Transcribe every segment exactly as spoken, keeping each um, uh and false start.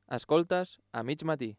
Escoltes a mig matí.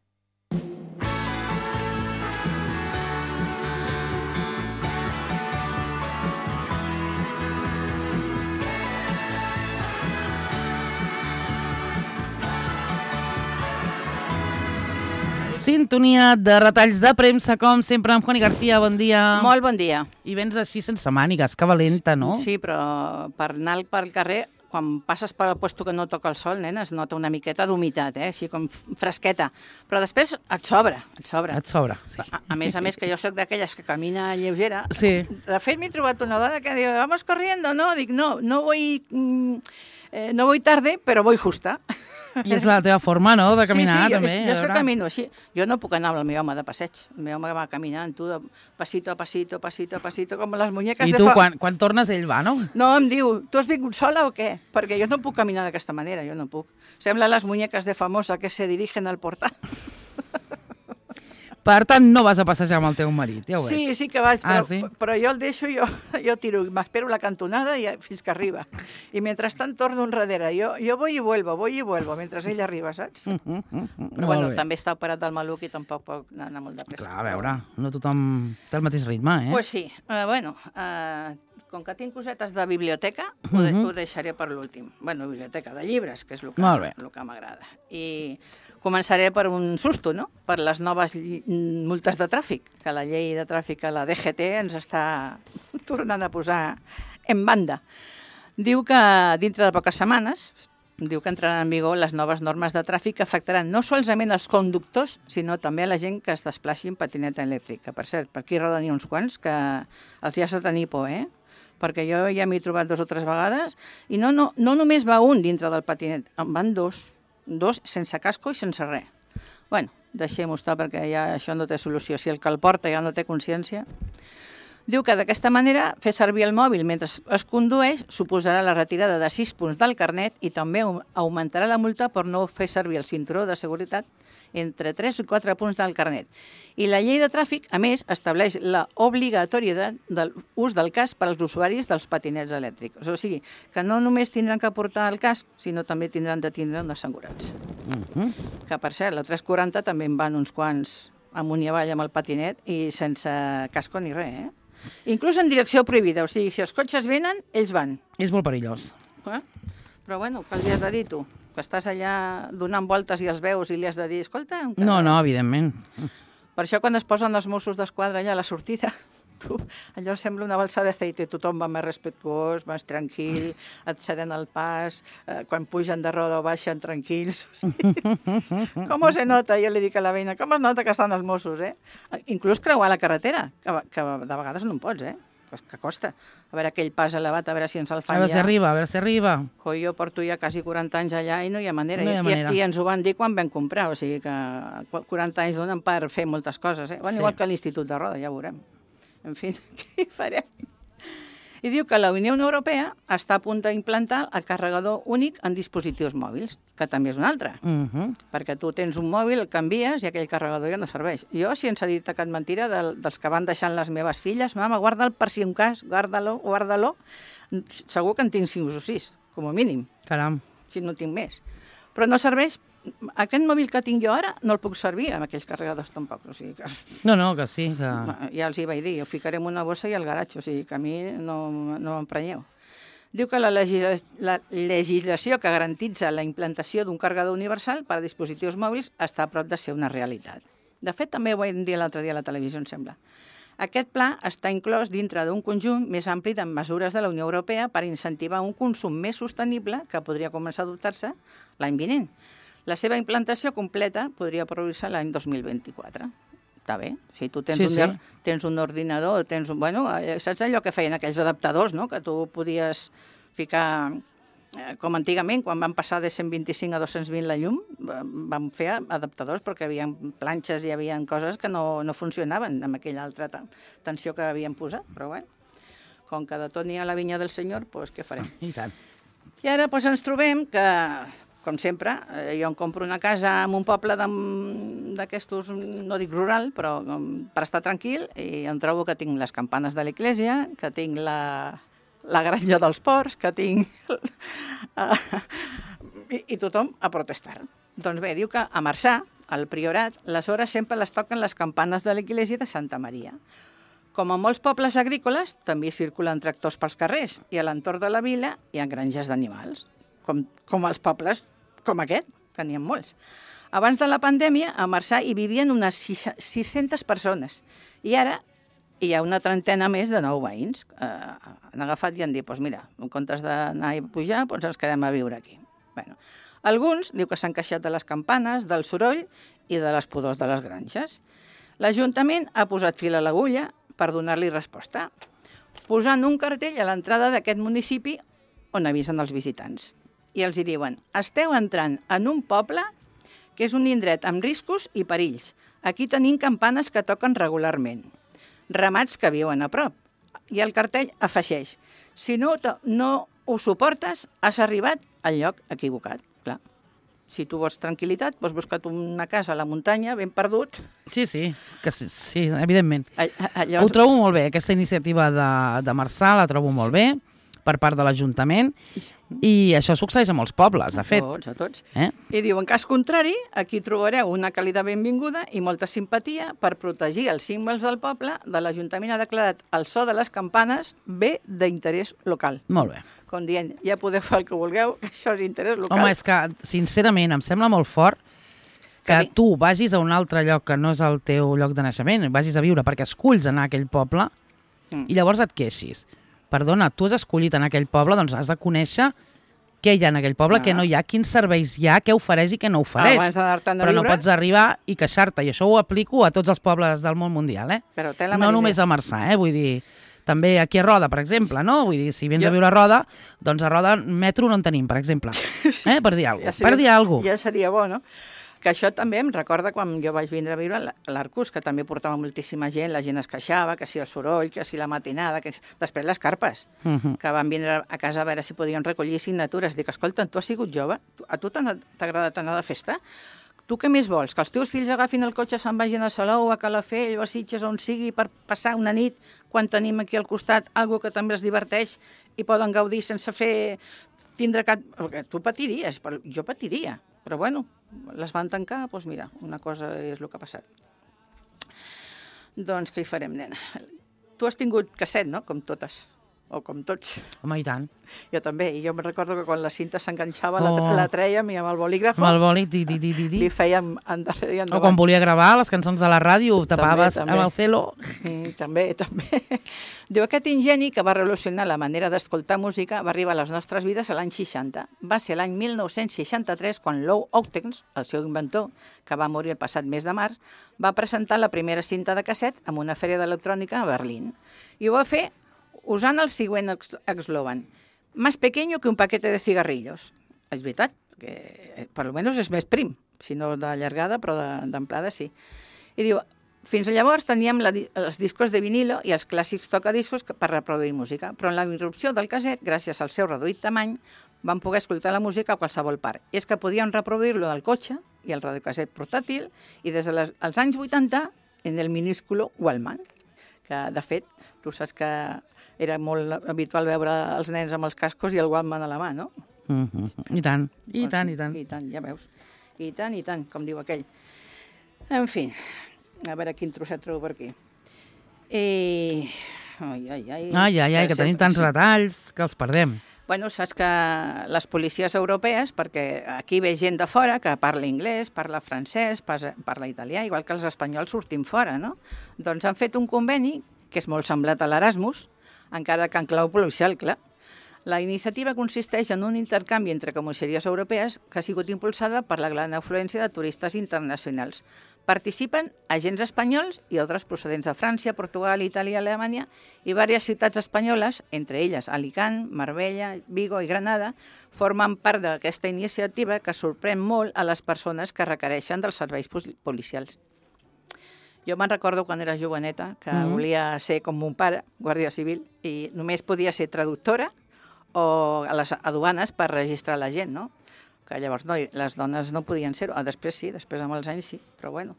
Sintonia de retalls de premsa, com sempre, amb Juani García. Bon dia. Molt bon dia. I vens així sense mànigues, que valenta, no? Sí, però per anar pel carrer, quan passes per el puesto que no toca el sol, nena, es nota una miqueta d'humitat, eh? Així com fresqueta. Però després et sobra, et sobra. Et sobra, sí. A, a més a més, que jo sóc d'aquelles que camina lleugera. Sí. De fet, m'he trobat una dona que diu, vamos corriendo, no? Dic, no, no voy, mm, eh, no voy tarde, però voy justa. I és la teva forma, no?, de caminar, sí, sí, també. Jo, jo és que camino així. Jo no puc anar amb el meu home de passeig. El meu home va caminant, tu, de pasito a pasito, pasito a pasito, com les muñeques I de tu, fa... quan, quan tornes, ell va, no? No, em diu, tu has vingut sola o què? Perquè jo no puc caminar d'aquesta manera, jo no puc. Sembla les muñeques de Famosa que se dirigen al portal. Per tant, no vas a passejar amb el teu marit, ja ho veig. Sí, sí que vaig, però, Ah, sí? però jo el deixo, jo, jo tiro, m'espero la cantonada i, fins que arriba. I mentrestant torno enrere. Jo, jo voy y vuelvo, voy y vuelvo, mentre ell arriba, saps? Mm, mm, mm, Però bueno, també està operat del maluc i tampoc pot anar molt de pressa. Clar, a veure, no tothom té el mateix ritme, eh? Pues sí. Uh, bueno, uh, com que tinc cosetes de biblioteca, uh -huh. ho, de, ho deixaré per l'últim. Bueno, biblioteca de llibres, que és el que, el que m'agrada. I començaré per un susto, no? Per les noves multes de tràfic, que la llei de tràfic, la D G T, ens està tornant a posar en banda. Diu que dintre de poques setmanes, diu que entraran en vigor les noves normes de tràfic que afectaran no solament els conductors, sinó també a la gent que es desplaci en patineta elèctrica. Per cert, per aquí roden hi uns quants que els hi has de tenir por, eh? Perquè jo ja m'he trobat dos o tres vegades i no, no, no només va un dintre del patinet, en van dos. Dos sense casco i sense res. Bueno, deixem-ho estar perquè ja això no té solució. Si el que el porta ja no té consciència. Diu que d'aquesta manera fer servir el mòbil mentre es condueix suposarà la retirada de sis punts del carnet i també augmentarà la multa per no fer servir el cinturó de seguretat entre tres i quatre punts del carnet. I la llei de tràfic, a més, estableix l'obligatorietat de l'ús del casc per als usuaris dels patinets elèctrics. O sigui, que no només tindran que portar el casc, sinó també tindran de tindre un assegurança. Uh -huh. Que, per cert, la tres quaranta també en van uns quants amunt i avall amb el patinet i sense casco ni res, eh? Inclús en direcció prohibida. O sigui, si els cotxes venen, ells van. És molt perillós. Eh? Però, bueno, què li has de dir, tu? Que estàs allà donant voltes i els veus i li has de dir, escolta... Encara... No, no, evidentment. Per això quan es posen els Mossos d'Esquadra allà a la sortida, tu, allò sembla una balsa d'aceite, tothom va més respectuós, més tranquil, et ceden el pas, eh, quan pugen de roda o baixen tranquils. O sigui, com se nota? Jo li dic a la veïna, com es nota que estan els Mossos, eh? Inclús creuar la carretera, que, que de vegades no en pots, eh? Que costa. A veure aquell pas elevat, a veure si ens el fan ja. A veure si arriba, a veure si arriba. Que jo porto ja quasi quaranta anys allà i no hi ha manera. No hi ha manera. I, I ens ho van dir quan vam comprar, o sigui que quaranta anys donen per fer moltes coses, eh? Bueno, sí. Igual que l'Institut de Roda, ja veurem. En fi, què farem? I diu que la Unió Europea està a punt d'implantar el carregador únic en dispositius mòbils, que també és un altre. Uh -huh. Perquè tu tens un mòbil, el canvies i aquell carregador ja no serveix. Jo, si ens ha dit cap mentira, del, dels que van deixant les meves filles, mama, guarda'l per si un cas, guarda-lo, guarda-lo. Segur que en tinc cinc o sis, com a mínim. Caram. Si no tinc més. Però no serveix. Aquest mòbil que tinc jo ara no el puc servir amb aquells carregadors tampoc, o sigui que... No, no, que sí, que... Ja els hi vaig dir, ho ficarem una bossa i al garatge, o sigui que a mi no, no m'emprenyeu. Diu que la, legisla... la legislació que garantitza la implantació d'un carregador universal per a dispositius mòbils està a prop de ser una realitat. De fet, també ho vam dir l'altre dia a la televisió, em sembla. Aquest pla està inclòs dintre d'un conjunt més ampli de mesures de la Unió Europea per incentivar un consum més sostenible que podria començar a adoptar-se l'any vinent. La seva implantació completa podria produir-se l'any dos mil vint-i-quatre. Està bé. Si tu tens, sí, un, sí. tens un ordinador, tens un... Bueno, saps allò que feien aquells adaptadors, no?, que tu podies ficar... Com antigament, quan van passar de cent vint-i-cinc a dos-cents vint la llum, vam fer adaptadors perquè hi havia planxes i hi havia coses que no, no funcionaven amb aquella altra tensió que havien posat. Però bé, com que de tot n'hi ha la vinya del Senyor, doncs què farem? I tant. I ara doncs, ens trobem que... Com sempre, jo em compro una casa en un poble d'aquestos, no dic rural, però per estar tranquil, i em trobo que tinc les campanes de l'església, que tinc la, la granja dels porcs, que tinc... I, i tothom a protestar. Doncs bé, diu que a Marçà, al Priorat, les hores sempre les toquen les campanes de l'església de Santa Maria. Com a molts pobles agrícoles, també circulen tractors pels carrers i a l'entorn de la vila hi ha granges d'animals, com, com els pobles com aquest, que n'hi ha molts. Abans de la pandèmia, a Marçà hi vivien unes sis-centes persones i ara hi ha una trentena més de nou veïns. Eh, han agafat i han dit, doncs mira, en comptes d'anar i pujar, doncs ens quedem a viure aquí. Bueno, alguns diu que s'han queixat de les campanes, del soroll i de les pudors de les granges. L'Ajuntament ha posat fil a l'agulla per donar-li resposta, posant un cartell a l'entrada d'aquest municipi on avisen els visitants. I els hi diuen, esteu entrant en un poble que és un indret amb riscos i perills. Aquí tenim campanes que toquen regularment, ramats que viuen a prop. I el cartell afegeix, si no, no ho suportes, has arribat al lloc equivocat. Clar, si tu vols tranquil·litat, vols buscar una casa a la muntanya, ben perdut. Sí, sí, que sí, sí evidentment. A, a, llavors... Ho trobo molt bé, aquesta iniciativa de, de Marçà la trobo molt bé, per part de l'Ajuntament, i això succeeix a molts pobles, de fet. A tots, a tots. Eh? I diu, en cas contrari, aquí trobareu una càlida benvinguda i molta simpatia per protegir els símbols del poble. De l'Ajuntament ha declarat el so de les campanes bé d'interès local. Molt bé. Com dient, ja podeu fer el que vulgueu, que això és interès local. Home, és que, sincerament, em sembla molt fort que sí. tu vagis a un altre lloc que no és el teu lloc de naixement, vagis a viure perquè esculls anar a aquell poble mm. i llavors et queixis. Perdona, tu has escollit en aquell poble, doncs has de conèixer què hi ha en aquell poble, ah. què no hi ha, quins serveis hi ha, què ofereix i què no ofereix. Abans d'anar-te'n a Però viure... no pots arribar i queixar-te, i això ho aplico a tots els pobles del món mundial, eh? Però té la no mariner. només a Marçà, eh? Vull dir, també aquí a Roda, per exemple, no? Vull dir, si vens jo... a viure a Roda, doncs a Roda metro no en tenim, per exemple. Eh? Per dir alguna cosa. Ja seria, per dir alguna cosa. Ja seria bo, no? Que això també em recorda quan jo vaig vindre a viure a l'Arcús, que també portava moltíssima gent, la gent es queixava, que si el soroll, que si la matinada, que si... després les carpes, uh -huh. que van vindre a casa a veure si podien recollir signatures. Dic, escolta, tu has sigut jove? A tu t'ha agradat anar de festa? Tu què més vols? Que els teus fills agafin el cotxe, se'n vagin a Salou, a Calafell o a Sitges, on sigui, per passar una nit, quan tenim aquí al costat algo que també els diverteix i poden gaudir sense fer... tindre cap... Perquè tu patiries, però jo patiria. Però bueno, les van tancar, doncs mira, una cosa és el que ha passat. Doncs què hi farem, nena? Tu has tingut casset, no? Com totes. O com tots. Home, i tant. Jo també, i jo me recordo que quan la cinta s'enganxava oh. la, la trèiem i amb el bolígraf amb el boli, di, di, di, di. li fèiem endarrere i endavant. O quan volia gravar les cançons de la ràdio, ho tapaves també, també. amb el celo. Mm, també, també. Diu, aquest ingeni que va revolucionar la manera d'escoltar música va arribar a les nostres vides a l'any seixanta. Va ser l'any mil nou-cents seixanta-tres quan Lou Ochtens, el seu inventor, que va morir el passat mes de març, va presentar la primera cinta de casset en una fèria d'electrònica a Berlín. I ho va fer usant el següent eslògan. Más pequeño que un paquete de cigarrillos. És veritat, que per almenys és més prim, si no de llargada, però d'amplada sí. I diu, fins llavors teníem la, els discos de vinilo i els clàssics tocadiscos per reproduir música, però en la irrupció del casset, gràcies al seu reduït tamany, vam poder escoltar la música a qualsevol part. I és que podíem reproduir-lo del cotxe i el radiocasset portàtil i des dels de anys vuitanta en el minúsculo Walkman, que de fet, tu saps que era molt habitual veure els nens amb els cascos i el Walkman a la mà, no? Mm -hmm. I tant, i doncs, tant, i tant. I tant, ja veus. I tant, i tant, com diu aquell. En fi, a veure quin trosset trobo per aquí. I... Ai, ai, ai. Ai, ai, ai, que tenim tants retalls que els perdem. Bueno, saps que les policies europees, perquè aquí ve gent de fora que parla anglès, parla francès, parla italià, igual que els espanyols sortim fora, no? Doncs han fet un conveni, que és molt semblat a l'Erasmus, encara que en clau policial, clar. La iniciativa consisteix en un intercanvi entre comissaries europees que ha sigut impulsada per la gran afluència de turistes internacionals. Participen agents espanyols i altres procedents de França, Portugal, Itàlia, Alemanya i diverses ciutats espanyoles, entre elles Alicant, Marbella, Vigo i Granada, formen part d'aquesta iniciativa que sorprèn molt a les persones que requereixen dels serveis policials. Jo me'n recordo quan era joveneta que mm-hmm. volia ser com mon pare, guàrdia civil, i només podia ser traductora o a les aduanes per registrar la gent, no? Que llavors no, les dones no podien ser-ho. Ah, després sí, després amb els anys sí, però bueno,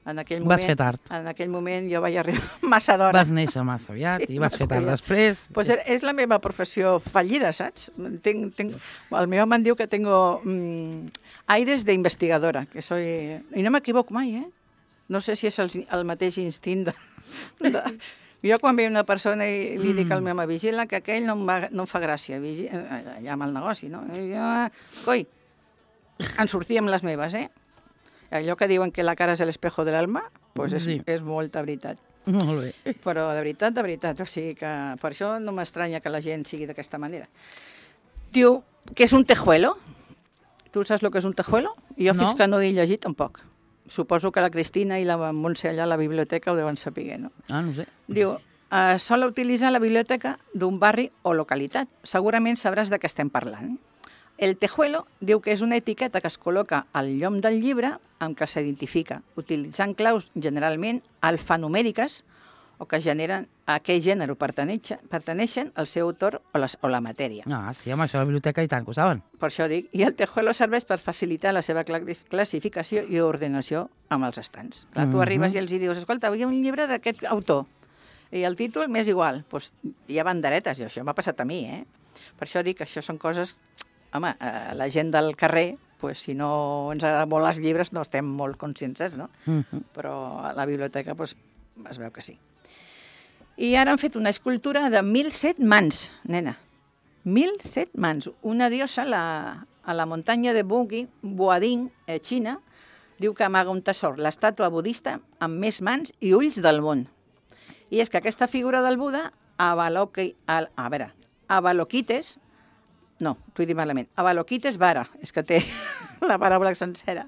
En aquell Vas moment, fer tard. En aquell moment jo vaig arribar massa d'hora. Vas néixer massa aviat Sí, i vas massa fer tard aviat. després. Pues és la meva professió fallida, saps? Tenc, tenc... El meu home em diu que tengo mm, aires d'investigadora, que soy... I no m'equivoco mai, eh? No sé si és el, el mateix instint de... de... Jo quan veig una persona i li dic al meu home, vigila que aquell no em, va, no em fa gràcia, vigila, allà amb el negoci, no? I jo, coi, en sortíem les meves, eh? Allò que diuen que la cara és l'espejo de l'alma, pues és, Sí. és molta veritat. Molt bé. Però de veritat, de veritat, o sigui que per això no m'estranya que la gent sigui d'aquesta manera. Diu que és un tejuelo. Tu saps el que és un tejuelo? Jo No. fins que no he llegit tampoc. Suposo que la Cristina i la Montse allà a la biblioteca ho deuen saber, no? Ah, no ho sé. Diu, eh, sol utilitzar la biblioteca d'un barri o localitat. Segurament sabràs de què estem parlant. El tejuelo diu que és una etiqueta que es col·loca al llom del llibre amb què s'identifica, utilitzant claus generalment alfanumèriques o que generen a aquell gènere pertaneixen, pertaneixen al seu autor o, les, o la matèria. Ah, sí, home, això a la biblioteca i tant que ho saben. Per això dic, i el tejuelo serveix per facilitar la seva cla- classificació i ordenació amb els estants. Clar, tu Mhm. arribes i els hi dius, escolta, hi ha un llibre d'aquest autor, i el títol m'és igual. Pues, hi ha banderetes, i això m'ha passat a mi, eh? Per això dic que això són coses... Home, eh, la gent del carrer, pues, si no ens agraden molt els llibres, no estem molt conscients, no? Uh -huh. Però a la biblioteca pues, es veu que sí. I ara han fet una escultura de mil set mans, nena. Mil set mans. Una diosa a la, a la muntanya de Bugui, Boading, a Xina, diu que amaga un tesor, l'estàtua budista amb més mans i ulls del món. I és que aquesta figura del Buda, Avaloqui, a, a veure, Avaloquites, no, t'ho he dit malament, Avaloquites vara, és que té la paraula sencera,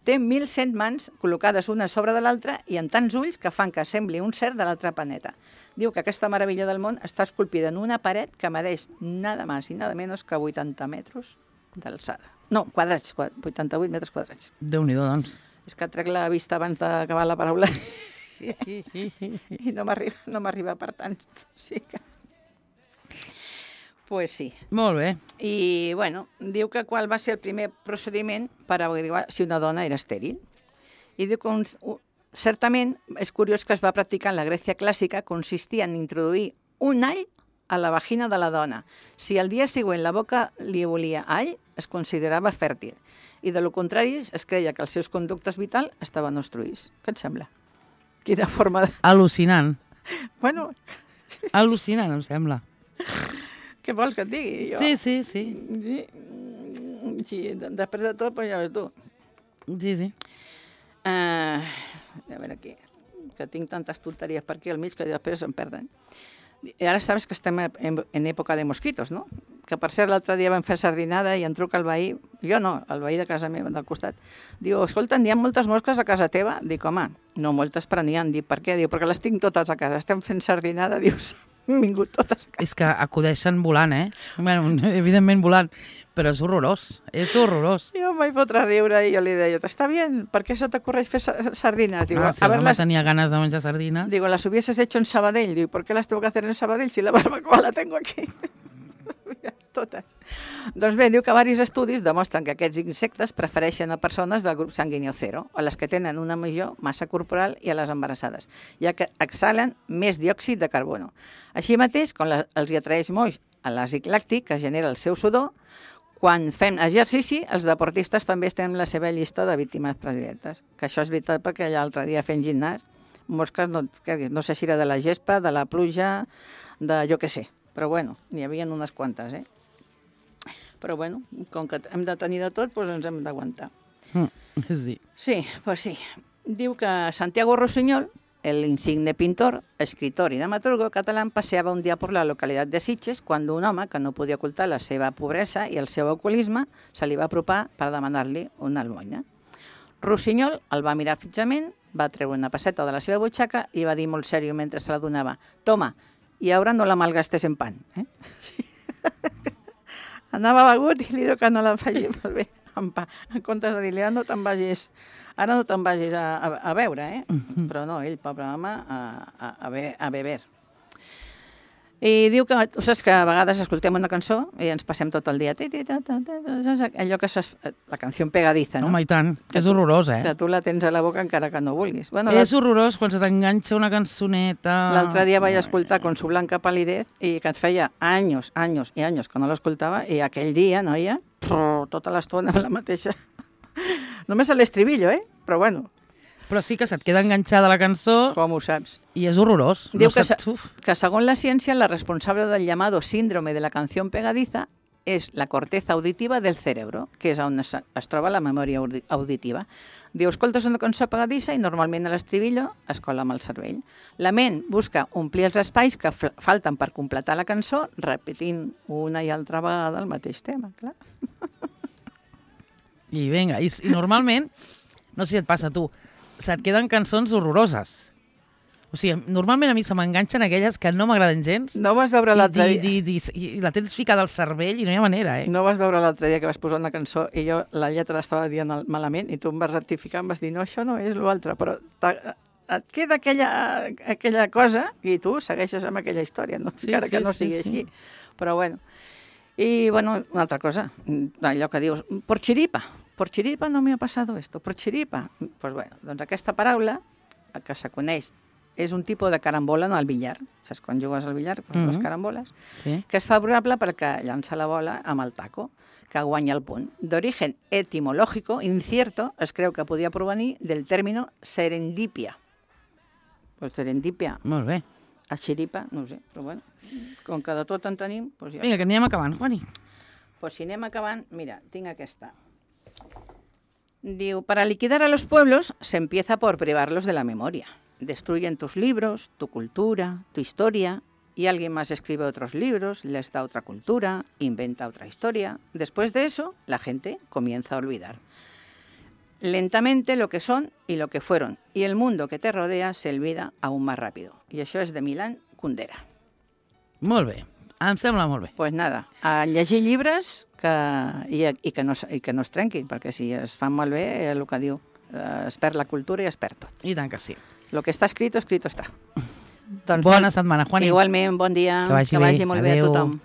té mil cent mans col·locades una sobre de l'altra i en tants ulls que fan que sembli un ser de l'altre planeta. Diu que aquesta meravella del món està esculpida en una paret que medeix nada més i nada menys que vuitanta metres d'alçada. No, quadrats, vuitanta-vuit metres quadrats. Déu-n'hi-do, doncs. És que trec la vista abans d'acabar la paraula i no m'arriba no m'arriba per tant. Sí que... Pues sí. Molt bé. I, bueno, diu que qual va ser el primer procediment per averiguar si una dona era estèril. I diu que, un, un, certament, és curiós que es va practicar en la Grècia clàssica, consistia en introduir un all a la vagina de la dona. Si al dia següent la boca li volia all, es considerava fèrtil. I, de lo contrari, es creia que els seus conductes vitals estaven obstruïts. Què et sembla? Quina forma de... Al·lucinant. Bueno... Al·lucinant, em sembla. Què vols que et digui? Jo? Sí, sí, sí. Sí, sí, després de tot, pues ja ves tu. Sí, sí. Uh, a veure aquí, que tinc tantes tonteries per aquí al mig que després em perden. I ara sabes que estem en, en època de mosquitos, no? Que per cert l'altre dia vam fer sardinada i em truca el veí, jo no, el veí de casa meva, del costat. Diu, escolta, n'hi ha moltes mosques a casa teva? Dic, home, no moltes, però n'hi ha. Dic, per què? Diu, perquè les tinc totes a casa. Estem fent sardinada, dius, han vingut totes a casa. És que acudeixen volant, eh? Bueno, evidentment volant, però és horrorós, és horrorós. Jo em vaig fotre a riure i jo li deia, està bé, per què se t'ocorreix fer sardines? Digo, Ah, si a el ver, home las... tenia ganes de menjar sardines... Digo, las hubieses hecho en Sabadell. Digo, ¿por qué las tengo que hacer en Sabadell si la barbacoa la tengo aquí? Totes. Doncs bé, diu que varis estudis demostren que aquests insectes prefereixen a persones del grup sanguini cero, a les que tenen una major massa corporal i a les embarassades, ja que exhalen més diòxid de carbono. Així mateix, quan la, els hi atraeix molt l'àcid làctic, que genera el seu sudor, quan fem exercici, els deportistes també estem en la seva llista de víctimes predilectes. Que això és veritat perquè l'altre dia fent gimnàs, mosques, no, no sé si era de la gespa, de la pluja, de jo què sé. Però bueno, n'hi havia unes quantes, eh? Però bueno, com que hem de tenir de tot, doncs ens hem d'aguantar. Mm, sí. Sí, pues sí. Diu que Santiago Rossinyol, el insigne pintor, escritor y dramaturgo catalán, paseaba un día por la localidad de Sitges cuando un home que no podia ocultar la seva pobresa i el seu alcoholisme se li va apropar per demanar-li una almoina. Rossinyol el va mirar fixament, va treure una passeta de la seva butxaca i va dir molt seriós mentre se la donava: «Toma, i ara no la malgastes en pan». Eh? Sí. Anava begut i li diu que no la faci molt bé en pa. En comptes de dir-li, ara no te'n vagis, ara no te'n vagis a, a, a veure, eh? Però no, ell, pobre home, a, a, a, be, a beber. I diu que, tu saps que a vegades escoltem una cançó i ens passem tot el dia, ti, ti, ta, ta, ta, allò que és la canció pegadiza, no? Home, i tant, que és horrorós, eh? Que tu la tens a la boca encara que no vulguis. Bueno, és horrorós quan se t'enganxa una cançoneta... L'altre dia vaig escoltar Con su blanca palidez i que et feia anys, anys i anys que no l'escoltava i aquell dia, noia, tota l'estona la mateixa. Només a l'estribillo, eh? Però bueno... Però sí que se't queda enganxada la cançó... Com ho saps? I és horrorós. Diu que, se, que segons la ciència, la responsable del llamado síndrome de la canción pegadiza és la corteza auditiva del cerebro, que és on es, es troba la memòria auditiva. Diu, escoltes una cançó pegadissa i normalment a l'estribillo es cola amb el cervell. La ment busca omplir els espais que falten per completar la cançó, repetint una i altra vegada el mateix tema, clar. I vinga, i, i normalment, no sé si et passa a tu, se't queden cançons horroroses. O sigui, normalment a mi se m'enganxen aquelles que no m'agraden gens. No vas veure l'altre dia... I, i, i, I la tens ficada al cervell i no hi ha manera, eh? No vas veure l'altre dia que vas posar una cançó i jo la lletra l'estava dient malament i tu em vas rectificar, em vas dir, no, això no és l'altre, però et queda aquella, aquella cosa i tu segueixes amb aquella història, no? Sí, encara sí, que no sigui sí, així. Sí. Però bueno... I, bueno, una altra cosa, allò que dius, por chiripa, por chiripa no me ha pasado esto, por chiripa. Pues bueno, doncs aquesta paraula, que se coneix, és un tipus de carambola no, al billar, saps, quan jugues al billar, pues, mm-hmm. les caramboles, sí. Que és favorable perquè llança la bola amb el taco, que guanya el punt. D'origen etimológico, incierto, es creu que podia provenir del término serendipia. Pues serendipia. Molt bé. A xiripa, no ho sé, però bueno, com que de tot en tenim... Doncs ja. Vinga, que anem acabant, Juani. Pues si anem acabant, mira, tinc aquesta. Diu, para liquidar a los pueblos se empieza por privarlos de la memoria. Destruyen tus libros, tu cultura, tu historia, y alguien más escribe otros libros, les da otra cultura, inventa otra historia. Después de eso, la gente comienza a olvidar lentamente lo que son y lo que fueron, y el mundo que te rodea se olvida aún más rápido. I això és de Milan Kundera. Molt bé, em sembla molt bé. Doncs pues nada, a llegir llibres que, i, i, que no, i que no es trenquin, perquè si es fan malbé, el que diu, es perd la cultura i es perd tot. I tant que sí. Lo que està escrito, escrito està. Doncs bona bon, setmana, Juani. Igualment, bon dia, que vagi, que vagi molt Adeu. bé a tothom.